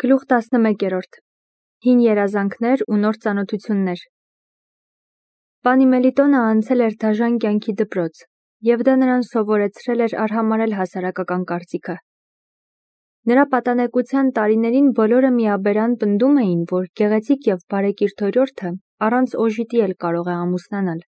Գլուխ 11-րդ Հին երազանքներ ու նոր ծանոթություններ Պանի Մելիտոնը անցել էր դաժան կյանքի դպրոց, և դա նրան սովորեցրել էր արհամարհել հասարակական կարծիքը։ Նրա պատանեկության տարիներին բոլորը միաբերան պնդում էին, որ գեղեցիկ և բարեկիրթ օրիորդը առանց օժիտի էլ կարող է ամուսնանալ։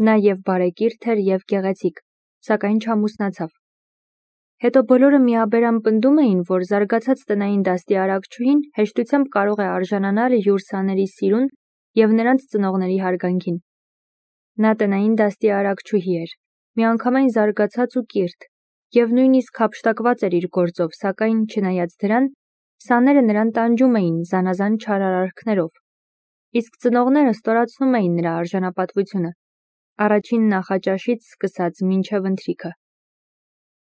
Նա և բարեկիրթ էր և գեղեցիկ, սակայն չամուսնացավ։ Հետո բոլորը միաբերան պնդում էին, որ զարգացած տնային դաստի արագչուհին հեշտությամբ կարող է արժանանալ յուր սաների սիրուն և նրանց ծնողների հարգանքին։ Նա տնային դաստի արագչուհի էր, միանգամայն զարգացած ու կիրթ, և նույնիսկ հափշտակված էր իր գործով, սակայն, չնայած դրան, սաները նրան տանջում էին զանազան չար արարքներով, իսկ ծնողները ստորացնում էին նրա արժանապատվությունը, առաջին նախաճաշից սկսած մինչև ընթրիքը։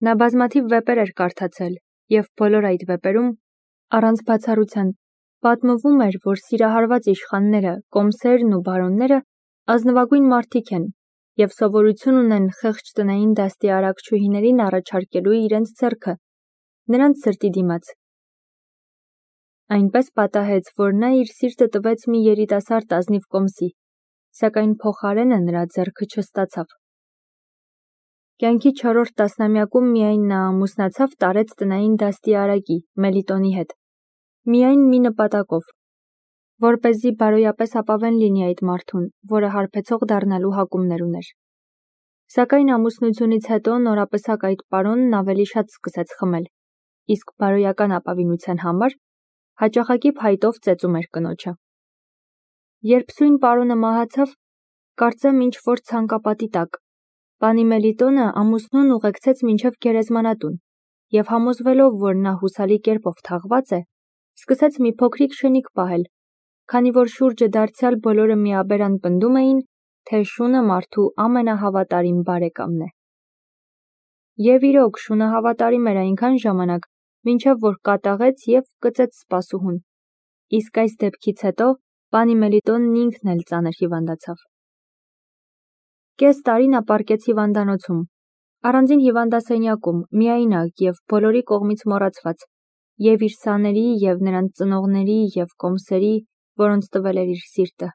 Նա բազմաթիվ վեպեր էր կարդացել, և բոլոր այդ վեպերում, առանց բացառության, պատմվում էր, որ սիրահարված իշխանները, կոմսերն ու բարոնները ազնվագույն մարդիկ են և սովորություն ունեն խեղճ տնային դաստի արագչուհիներին առաջարկելու իրենց ձեռքը, նրանց սրտի դիմաց։ Այնպես պատահեց, որ նա իր սիրտը տվեց մի երիտասարդ ազնիվ կոմսի, սակայն փոխարենը նրա ձեռքը չստացավ։ Կյանքի 4-րդ տասնամյակում միայն նա ամուսնացավ տարեց տնային դաստի արագի՝ Մելիտոնի հետ, միայն մի նպատակով, որպեսզի բարոյապես ապավեն լինի այդ մարդուն, որը հարբեցող դառնալու հակումներ ուներ։ Սակայն ամուսնությունից հետո նորապսակ այդ պարոնն ավելի շատ սկսեց խմել, իսկ բարոյական ապավինության համար հաճախակի փայտով ծեծում էր կնոջը։ Երբ սույն պարոնը մահացավ, կարծեմ ինչ-որ ցանկապատի տակ, Պանի Մելիտոնը ամուսնուն ուղեկցեց մինչև գերեզմանատուն և համոզվելով, որ նա հուսալի կերպով թաղված է, սկսեց մի փոքրիկ շնիկ պահել, քանի որ շուրջը դարձյալ բոլորը միաբերան պնդում էին, թե շունը մարդու ամենահավատարիմ բարեկամն է։ Եվ իրոք, շունը հավատարիմ էր այնքան ժամանակ, մինչև որ կատաղեց և կծեց սպասուհուն, իսկ այս դեպքից հետո Պանի Մելիտոնն ինքն էլ ծանր հիվանդացավ։ Կես տարի նա պառկեց հիվանդանոցում, առանձին հիվանդասենյակում, միայնակ և բոլորի կողմից մոռացված, և իր սաների, և նրանց ծնողների, և կոմսերի, որոնց տվել էր իր սիրտը։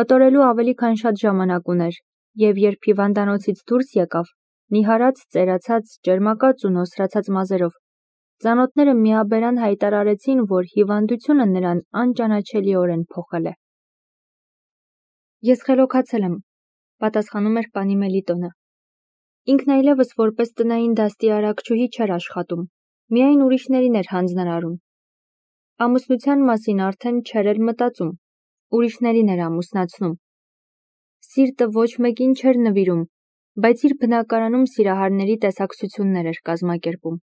Մտորելու ավելի քան շատ ժամանակ ուներ, և երբ հիվանդանոցից դուրս եկավ, նիհարած, ծերացած, ճերմակած ու նոսրացած մազերով, ծանոթները միաբերան հայտարարեցին, որ հիվանդությունը նրան անճանաչելիորեն փոխել է։ Ես խելոքացել եմ, պատասխանում էր Պանի Մելիտոնը։ Ինքն այլևս որպես տնային դաստի արագչուհի չէր աշխատում, միայն ուրիշներին էր հանձնարարում։ Ամուսնության մասին արդեն չէր էլ մտածում, ուրիշներին էր ամուսնացնում։ Սիրտը ոչ մեկին չէր նվիրում, բայց իր բնակարանում սիրահարների տեսակցություններ էր կազմակերպում։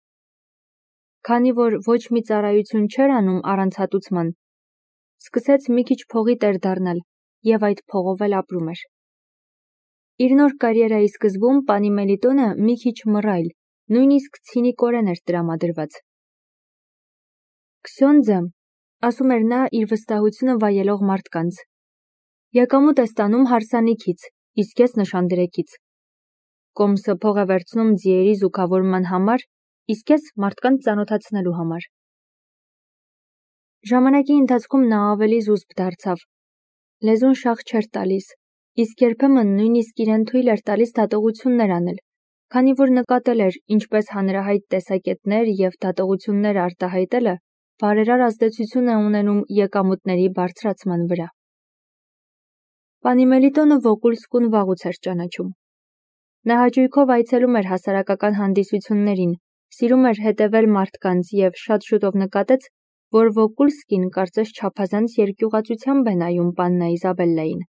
Քանի որ ոչ մի ծառայություն չէր անում առանց հատուցման, սկսեց մի քիչ փողի տեր դառնալ և այդ փողով էլ ապրում էր։ Իր նոր կարիերայի սկզբում Պանի Մելիտոնը մի քիչ մռայլ, նույնիսկ ցինիկորեն էր տրամադրված։ Քսյոնդզը, ասում էր նա իր վստահությունը վայելող մարդկանց, եկամուտ է ստանում հարսանիքից, իսկ ես նշանդրեքից։ Կոմսը փող է վերցնում ձիերի զուգավորման համար, իսկ ես մարդկանց ծանոթացնելու համար։ Ժամանակի ընթացքում նա ավելի զուսպ դարձավ, լեզուն շաղ չէր տալիս, իսկ երբեմն նույնիսկ իրեն թույլ էր տալիս դատողություններ անել, քանի որ նկատել էր, ինչպես հանրահայտ տեսակետներ և դատողություններ արտահայտելը բարերար ազդեցություն է ունենում եկամուտների բարձրացման վրա։ Պանի Մելիտոնը Վոկուլսկուն վաղուց էր ճանաչում։ Նա հաճույքով այցելում էր հասարակական հանդիսություններին, սիրում էր հետևել մարդկանց և շատ շուտով նկատեց, որ Վոկուլսկին կարծես չափազանց երկյուղածությամբ է նայում Պաննա Իզաբելլային։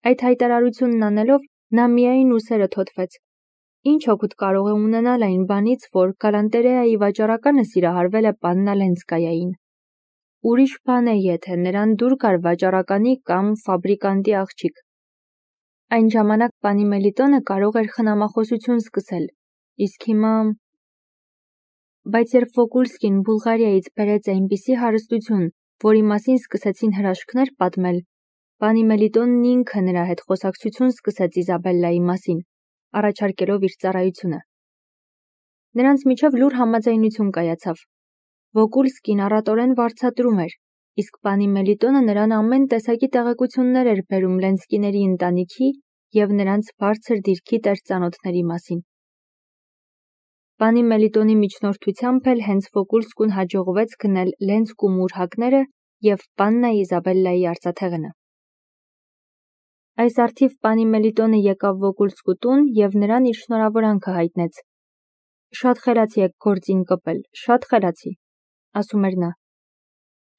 Այդ հայտարարությունն անելով նա միայն ուսերը թոթվեց։ Ինչ օգուտ կարող է ունենալ այն բանից, որ Գալանտերեայի վաճառականը սիրահարվել է Պաննա Լենսկայային։ Ուրիշ բան է, եթե նրան դուր գար վաճառականի կամ ֆաբրիկանտի աղջիկ։ Այն ժամանակ Պանի Մելիտոնը կարող էր խնամախոսություն սկսել, իսկ հիմա… Բայց երբ Վոկուլսկին Բուլղարիայից բերեց այնպիսի հարստություն, որի մասին սկսեցին հրաշքներ պատմել, Պանի Մելիտոնն ինքը նրա հետ խոսակցություն սկսեց Իզաբելլայի մասին, առաջարկելով իր ծառայությունը։ Նրանց միջև լուռ համաձայնություն կայացավ։ Վոկուլսկին առատորեն վարձատրում էր, իսկ պանի Մելիտոնը նրան ամեն տեսակի տեղեկություններ էր բերում Լենսկիների ընտանիքի և նրանց բարձր դիրքի տեր-ծանոթների մասին։ Պանի Մելիտոնի միջնորդությամբ էլ հենց Վոկուլսկուն հաջողվեց գնել Լենսկու մուրհակները և պաննա Իզաբելլայի արծաթեղենը։ Այս առթիվ պանի Մելիտոնը եկավ Վոկուլսկու տուն և նրան իր շնորհավորանքը հայտնեց։ «Շատ խելացի եք գործին կպել, շատ խելացի», ասում էր նա։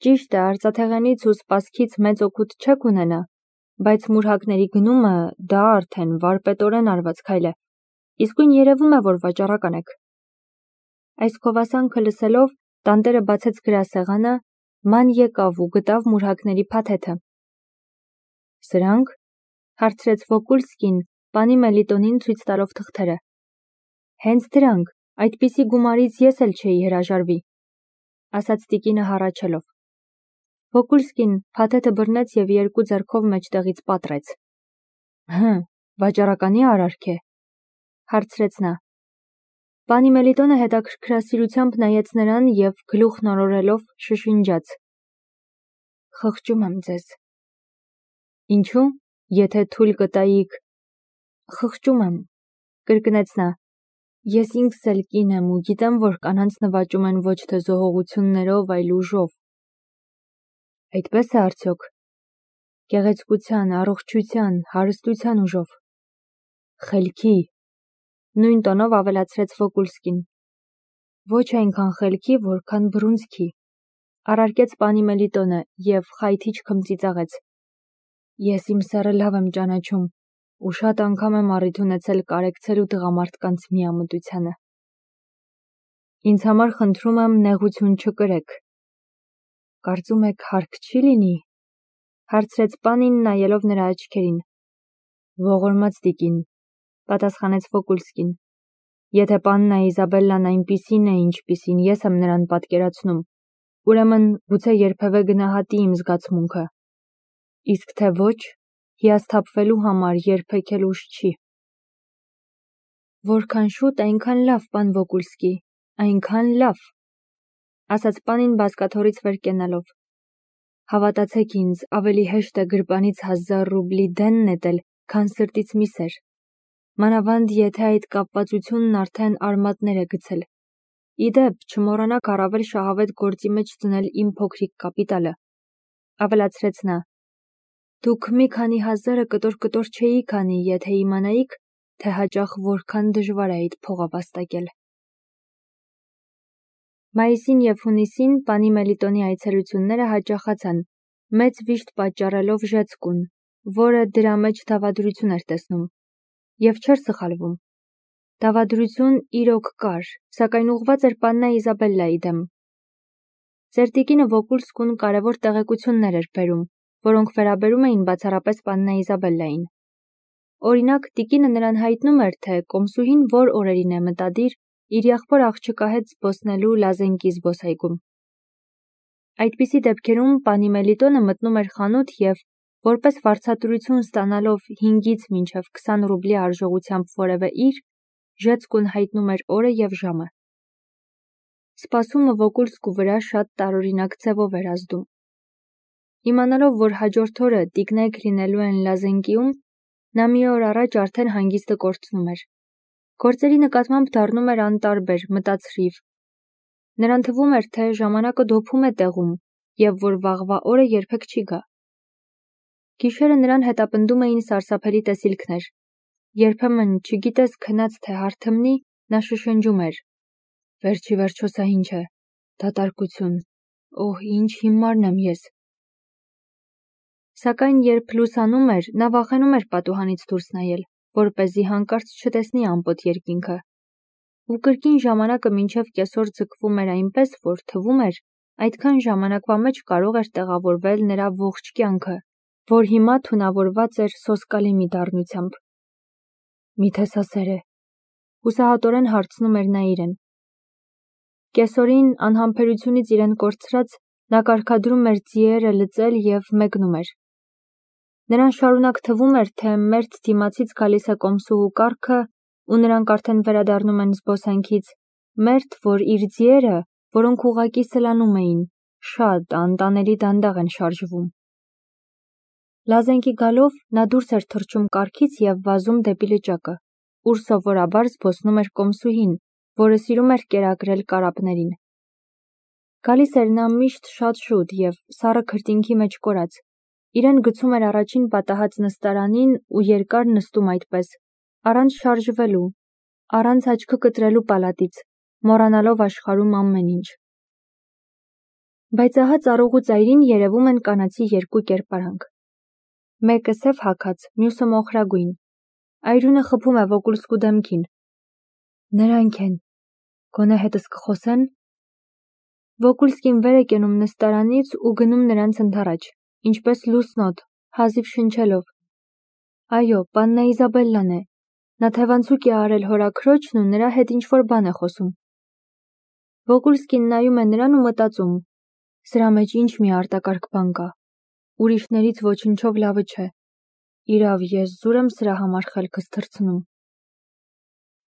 «Ճիշտ է, արծաթեղենից ու սպասքից մեծ օգուտ չեք ունենա, բայց մուրհակների գնումը դա արդեն վարպետորեն արված քայլ է, իսկույն երևում է, որ վաճառական եք»։ Այս գովասանքը լսելով տանտերը բացեց գրասեղանը, ման եկավ ու գտավ մուրհակների փաթեթը։ «Սրանք», հարցրեց Վոկուլսկին, պանի Մելիտոնին ցույց տալով թղթերը։ «Հենց դրանք, այդպիսի գումարից ես էլ չէի հրաժարվի», ասաց տիկինը հառաչելով։ Վոկուլսկին փաթեթը բռնեց և երկու ձեռքով մեջտեղից պատռեց։ Վաճառականի արարք է, հարցրեց նա։ Պանի Մելիտոնը հետաքրքրասիրությամբ նայեց նրան և գլուխն օրորելով շշնջաց. «Խղճում եմ ձեզ»։ «Ինչու՞, եթե թույլ կտայիք»։ «Խղճում եմ», կրկնեց նա։ «Ես ինքս էլ կին եմ ու գիտեմ, որ կանանց նվաճում են ոչ թե զոհողություններով, այլ ուժով»։ Այդպես է արդյոք։ Գեղեցկության, առողջության, հարստության ուժով։ Խելքի, նույն տոնով ավելացրեց Վոկուլսկին։ Ոչ այնքան խելքի, որքան բռունցքի, առարկեց պանի Մելիտոնը և խայթիչ քմծիծաղեց։ Ես իմ սեռը լավ եմ ճանաչում ու շատ անգամ եմ առիթ ունեցել կարեկցելու տղամարդկանց միամտությանը։ Ինձ համար խնդրում եմ նեղություն չկրեք։ Կարծում եք հարկ չի լինի, հարցրեց պանին նայելով նրա աչքերին։ Ողորմած տիկին, պատասխանեց Վոկուլսկին, եթե պաննա Իզաբելլան այնպիսին է, ինչպիսին ես եմ նրան պատկերացնում, ուրեմն գուցե երբևէ գնահատի իմ զգացմունքը, իսկ թե ոչ, հիասթափվելու համար երբեք էլ ուշ չի։ Որքան շուտ, այնքան լավ, պան Վոկուլսկի, այնքան լավ, ասաց պանին բազկաթոռից վեր կենալով։ Հավատացեք ինձ, ավելի հեշտ է գրպանից 1000 ռուբլի դեն նետել, քան սրտից մի սեր։ Մանավանդ եթե այդ կապվածությունն արդեն արմատներ է գցել։ Իդեպ, չմոռանաք առավել շահավետ գործի մեջ դնել իմ փոքրիկ կապիտալը, ավելացրեց նա։ Դուք մի քանի հազարը կտոր չէիք անի, եթե իմանայիք, թե հաճախ որքան դժվար է այդ փողը վաստակել։ Մայիսին և հունիսին պանի Մելիտոնի այցելությունները հաճախացան, մեծ վիշտ պատճառելով Ժեցկուն, որը դրա մեջ դավադրություն էր տեսնում, և չէր սխալվում։ Դավադրություն իրոք կար, սակայն ուղղված էր պաննա Իզաբելլայի դեմ։ Ձեր տիկինը Վոկուլսկուն կարևոր տեղեկություններ էր բերում, որոնք վերաբերում էին բացառապես պաննա Իզաբելլային։ Օրինակ, տիկինը նրան հայտնում էր, թե կոմսուհին որ օրերին է մտադիր իր եղբոր աղջկա հետ զբոսնելու Լազենկի զբոսայգում։ Այդպիսի դեպքերում պանի Մելիտոնը մտնում էր խանութ և, որպես վարձատրություն ստանալով 5-ից մինչև 20 ռուբլի արժողությամբ որևէ իր, Ժեցկուն հայտնում էր օրը և ժամը։ Սպասումը Վոկուլսկու վրա շատ տարօրինակ ձևով էր ազդում։ Իմանալով, որ հաջորդ օրը տիկնայք լինելու են Լազենկիում, նա մի օր առաջ արդեն հանգիստը կորցնում էր։ Գործերի նկատմամբ դառնում էր անտարբեր, մտածրիվ։ Նրան թվում էր, թե ժամանակը դոփում է տեղում և որ վաղվա օրը երբեք չի գա։ Գիշերը նրան հետապնդում էին սարսափելի տեսիլքներ։ Երբեմն, չգիտես քնած թե հարթմնի, նա շշնջում էր. Վերջի վերջո սա ինչ է, դատարկություն, օհ, ինչ հիմարն եմ ես։ Սակայն երբ լուսանում էր, նա վախենում էր պատուհանից դուրս նայել, որպեսզի հանկարծ չտեսնի ամպոտ երկինքը։ Ու կրկին ժամանակը մինչև կեսօր ձգվում էր այնպես, որ թվում էր, այդքան ժամանակվա մեջ կարող էր տեղավորվել նրա ողջ կյանքը, որ հիմա թունավորված էր սոսկալի մի դառնությամբ։ Միթե սա սեր է, հուսահատորեն հարցնում էր նա իրեն։ Կեսօրին, անհամբերությունից իրեն կորցրած, նա կարգադրում էր ձիերը լծել և մեկնում էր։ Նրան շարունակ թվում էր, թե մերթ դիմացից գալիս է կոմսուհու կառքը, ու նրանք արդեն վերադառնում են զբոսանքից, մերթ, որ իր ձիերը, որոնք ուղղակի սլանում էին, շատ անտանելի դանդաղ են շարժվում։ Լազենքի գալով նա դուրս էր թռչում կառքից և վազում դեպի լճակը, ուր սովորաբար զբոսնում էր կոմսուհին, որը սիրում էր կերակրել կարապներին։ Գալիս էր նա միշտ շատ շուտ և սառը քրտինքի մեջ կորած, իրեն գցում էր առաջին պատահած նստարանին ու երկար նստում այդպես, առանց շարժվելու, առանց աչքը կտրելու պալատից, մոռանալով աշխարհում ամեն ինչ։ Բայց ահա ծառուղու ծայրին երևում են կանացի երկու կերպարանք։ Մեկը սև հագած, մյուսը մոխրագույն։ Այրունը խփում է Վոկուլսկու դեմքին։ Նրանք են, գոնե հետս կխոսեն։ Վոկուլսկին վեր է կենում նստարանից ու գնում նրանց ընդառաջ, ինչպես լուսնոտ, հազիվ շնչելով։ Այո, պաննա Իզաբելլան է։ Նա թևանցուկ է արել հորաքրոջն ու նրա հետ ինչ-որ բան է խոսում։ Վոկուլսկին նայում է նրան ու մտածում. սրա մեջ ինչ մի արտակարգ բան կա։ Ուրիշներից ոչնչով լավը չէ։ Իրավ, ես զուր եմ սրա համար խելքս թռցնում։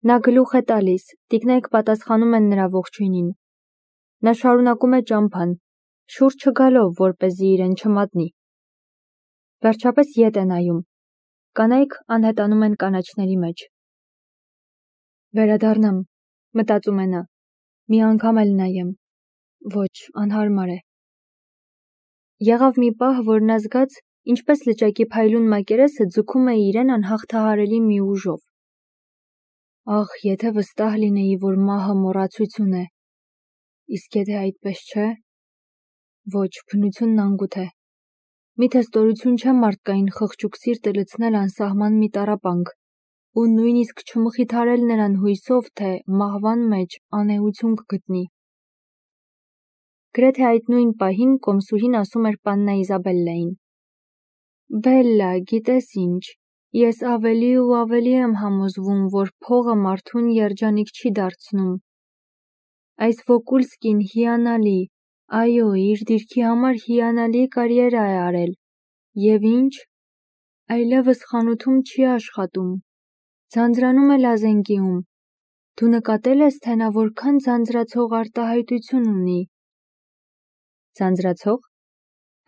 Նա գլուխ է տալիս, տիկնայք պատասխանում են նրա ողջույնին։ Նա շարունակում է ճամփան, շուռ չգալով, որպեսզի իրեն չմատնի։ Վերջապես ետ է նայում։ Կանայք անհետանում են կանաչների մեջ։ Վերադառնամ, մտածում է նա, մի անգամ էլ նայեմ։ Ոչ, անհարմար է։ Եղավ մի պահ, որ նա զգաց, ինչպես լճակի փայլուն մակերեսը ձգում է իրեն անհաղթահարելի մի ուժով։ Ախ, եթե վստահ լինեի, որ մահը մոռացություն է։ Իսկ եթե այդպես չէ։ Ոչ, բնությունն անգութ է։ Միթե ստորություն չէ մարդկային խղճուկ սիրտը լցնել անսահման մի տառապանք ու նույնիսկ չմխիթարել նրան հույսով, թե մահվան մեջ անեություն կգտնի։ Գրեթե այդ նույն պահին կոմսուհին ասում էր պաննա Իզաբելլային. Բելլա, գիտես ինչ, ես ավելի ու ավելի եմ համոզվում, որ փողը մարդուն երջանիկ չի դարձնում։ Այս Վոկուլսկին հիանալի, այո, իր դիրքի համար հիանալի կարիերա է արել։ Եվ ինչ, այլևս խանութում չի աշխատում, ձանձրանում է Լազենկիում։ Դու նկատել ես, թե նա որքան ձանձրացող արտահայտություն ունի։ Ձանձրացող,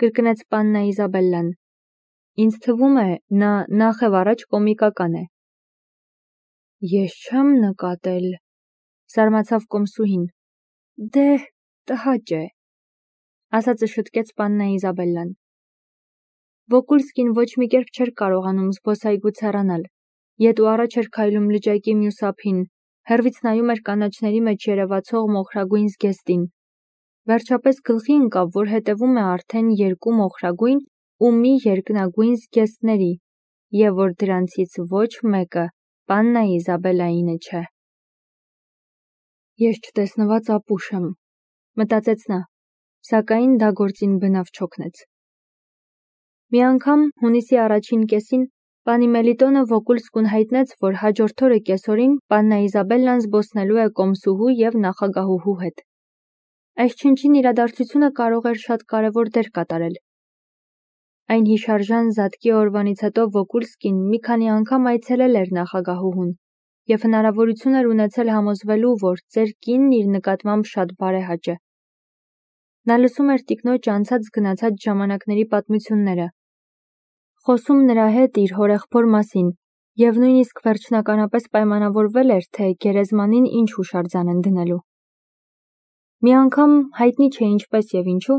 կրկնեց պաննա Իզաբելլան։ Ինձ թվում է, նա նախև առաջ կոմիկական է։ Ես չեմ նկատել, զարմացավ կոմսուհին։ Դե, տհաճ է, ասացը շտկեց պաննա Իզաբելլան։ Վոկուլսկին ոչ մի կերպ չէր կարողանում զբոսայգուց հեռանալ, ետ ու առաջ էր քայլում լճակի մյուս ափին, հեռվից նայում էր կանաչների մեջ երևացող մոխրագույն զգեստին։ Վերջապես գլխի ընկավ, որ հետևում է արդեն երկու մոխրագույն ու մի երկնագույն զգեստների, և որ դրանցից ոչ մեկը պաննա Իզաբելլայինը չէ։ Ես չտեսնված ապուշ եմ, մտածեց նա, սակայն դա գործին բնավ չօգնեց։ Մի անգամ հունիսի առաջին կեսին պանի Մելիտոնը Վոկուլսկուն հայտնեց, որ հաջորդ օրը կեսօրին պաննա Իզաբելլան զբոսնելու է կոմսուհու և նախագահուհու հետ։ Այս չնչին իրադարձությունը կարող էր շատ կարևոր դեր կատարել։ Այն հիշարժան զատկի օրվանից հետո Վոկուլսկին մի քանի անգամ այցելել էր նախագահուհուն և հնարավորություն էր ունեցել համոզվելու, որ ծեր կինն իր նկատմամբ շատ բարեհաճ է։ Նա լսում էր տիկնոջ անցած-գնացած ժամանակների պատմությունները, խոսում նրա հետ իր հորեղբոր մասին և նույնիսկ վերջնականապես պայմանավորվել էր, թե գերեզմանին ինչ հուշարձան են դնելու։ Մի անգամ, հայտնի չէ ինչպես և ինչու,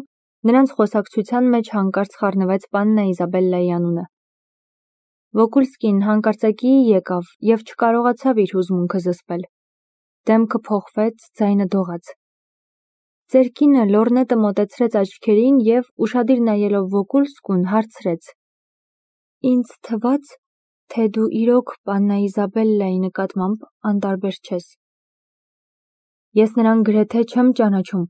նրանց խոսակցության մեջ հանկարծ խառնվեց պաննա Իզաբելլայի անունը։ Վոկուլսկին հանկարծակիի եկավ և չկարողացավ իր հուզմունքը զսպել։ Դեմքը փոխվեց, ձայնը դողաց։ Ծեր կինը լոռնետը մոտեցրեց աչքերին և, ուշադիր նայելով Վոկուլսկուն, հարցրեց. Ինձ թվաց, թե դու իրոք պաննա Իզաբելլայի նկատմամբ անտարբեր չես։ Ես նրան գրեթե չեմ ճանաչում,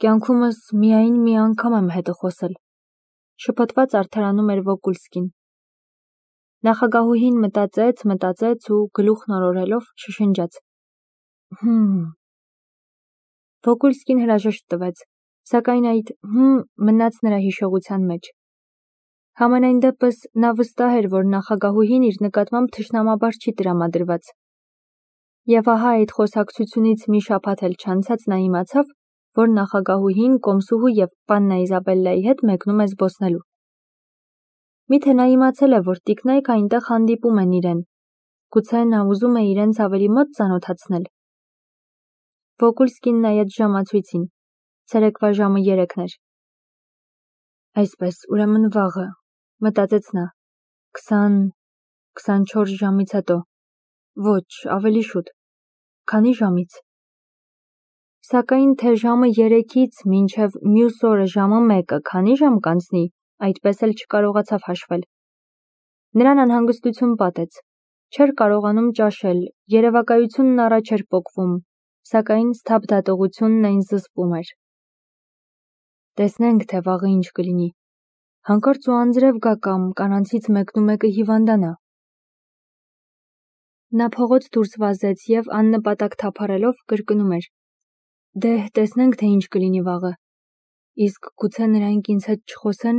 կյանքումս միայն մի անգամ եմ հետը խոսել, շփոթված արդարանում էր Վոկուլսկին։ Նախագահուհին մտածեց ու գլուխն օրորելով շշնջաց. Վոկուլսկին հրաժեշտ տվեց, սակայն այդ մնաց նրա հիշողության մեջ։ Համենայն դեպս նա վստահ էր, որ նախագահուհին իր նկատմամբ թշնամաբար չի տրամադրված։ Եվ ահա այդ խոսակցությունից մի շաբաթ էլ չանցած նա իմացավ, որ նախագահուհին, կոմսուհու և պաննա Իզաբելլայի հետ մեկնում է զբոսնելու։ Միթե նա իմացել է, որ տիկնայք այնտեղ հանդիպում են իրեն, գուցե նա ուզում է իրենց ավելի մոտ ծանոթացնել։ Վոգուլսկին նայեց ժամացույցին, ցերեկվա ժամը 3 էր։ Այսպես, ուրեմն վաղը, մտածեց նա, 20-24 ժամից հետո, ոչ, ավելի շուտ, քանի ժամից։ Սակայն թե ժամը 3-ից մինչև մյուս օրը ժամը 1-ը քանի ժամ կանցնի, այդպես էլ չկարողացավ հաշվել։ Նրան անհանգստություն պատեց, չէր կարողանում ճաշել, երևակայությունն առաջ էր պոկվում, սակայն սթափդատողությունն այն զսպում էր։ Տեսնենք, թե վաղը ինչ կլինի, հանկարծ ու անձրև գա կամ կանանցից մեկնումեկը հիվանդանա։ Նա փողոց դուրս վազեց և աննպատակ թափառելով կրկնում էր. Դե, տեսնենք, թե ինչ կլինի վաղը։ Իսկ գուցե նրանք ինձ հետ չխոսեն։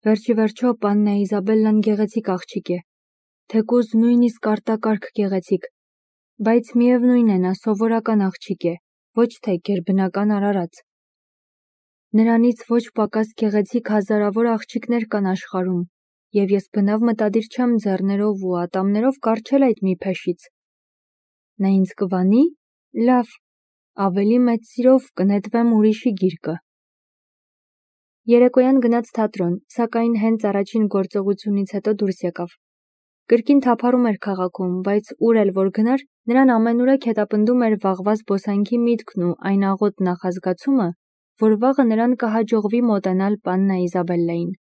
Վերջի վերջո պաննա Իզաբելլան գեղեցիկ աղջիկ է, թեկուզ նույնիսկ արտակարգ գեղեցիկ, բայց միևնույն է նա սովորական աղջիկ է, ոչ թե գերբնական արարած։ Նրանից ոչ պակաս գեղեցիկ հազարավոր աղջիկներ կան աշխարհում, և ես բնավ մտադիր չեմ ձեռներով ու ատամներով կառչել այդ մի փեշից։ Նա ինձ կվանի, լավ, ավելի մեծ սիրով կնետվեմ ուրիշի գիրկը։ Երեկոյան գնաց թատրոն, սակայն հենց առաջին գործողությունից հետո դուրս եկավ։ Կրկին թափառում էր քաղաքում, բայց ուր էլ որ գնար, նրան ամենուրեք հետապնդում էր վաղվա զբոսանքի միտքն ու այն աղոտ նախազգացումը, որ վաղը նրան կհաջողվի մոտենալ պաննա Իզաբելլային։